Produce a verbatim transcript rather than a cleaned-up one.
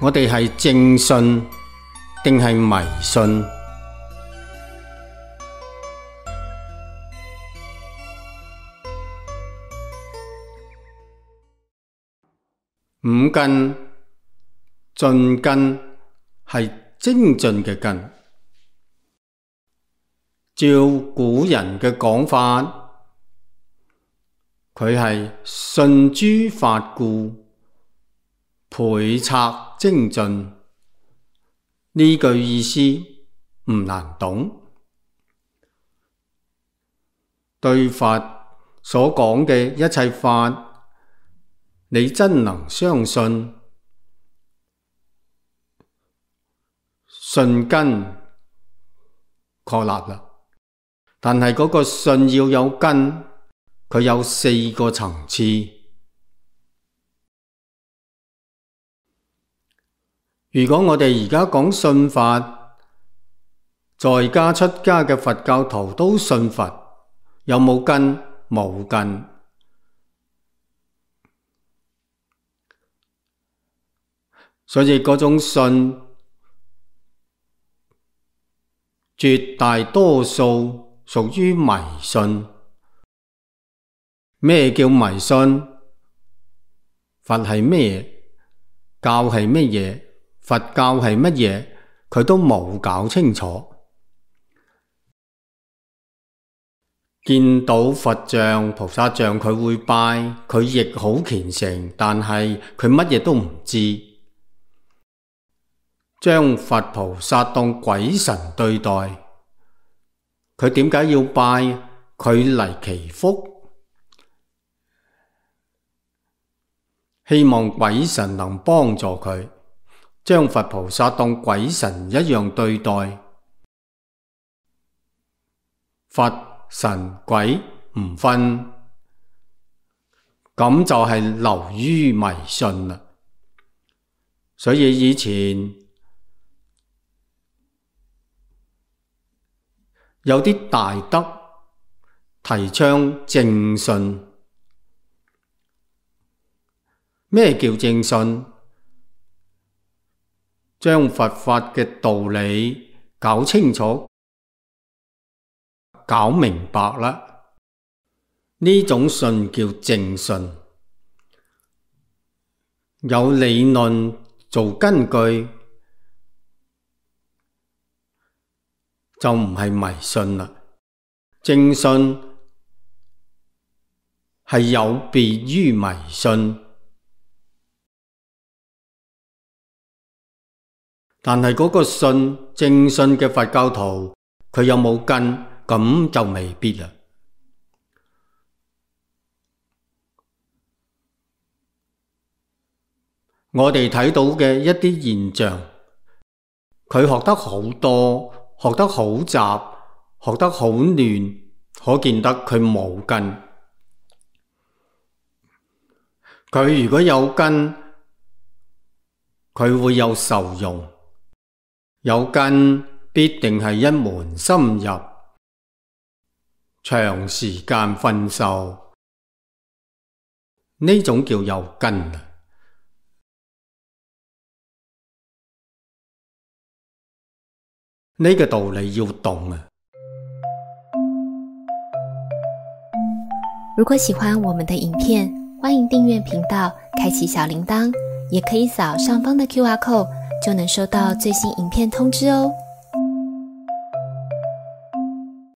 我哋係正信定係迷信？五根，進根係精進嘅根。照古人嘅講法，佢係信諸法故，倍策精進。呢句意思唔難懂。對佛所講嘅一切法，你真能相信，信根確立啦。但係嗰個信要有根，佢有四個層次。如果我哋而家講信法，在家出家嘅佛教徒都信佛，有冇根？冇根。所以嗰種信，絕大多數屬於迷信。咩叫迷信？佛係咩？教係乜嘢？佛教係乜嘢？佢都冇搞清楚。見到佛像、菩薩像佢會拜，佢亦好虔誠，但係佢乜嘢都唔知，將佛菩薩當鬼神對待。佢點解要拜？佢嚟祈福，希望鬼神能幫助佢，將佛菩薩當鬼神一樣對待。佛神鬼唔分，咁就係流於迷信啦。所以以前有啲大德提倡正信。咩叫正信？將佛法嘅道理搞清楚，搞明白啦，呢種信叫正信，有理論做根據，就唔係迷信啦。正信係有別於迷信，但係嗰個信，正信嘅佛教徒，佢有冇根？咁就未必啦。我哋睇到嘅一啲現象，佢學得好多，學得好雜，學得好亂，可見得佢冇根。佢如果有根，佢會有受用。有根必定係一門深入，長時間訓授，呢種叫有根啊！呢個道理要懂啊！如果喜歡我們的影片，歡迎訂閱頻道，開啟小鈴鐺，也可以掃上方的 Q R code，就能收到最新影片通知哦。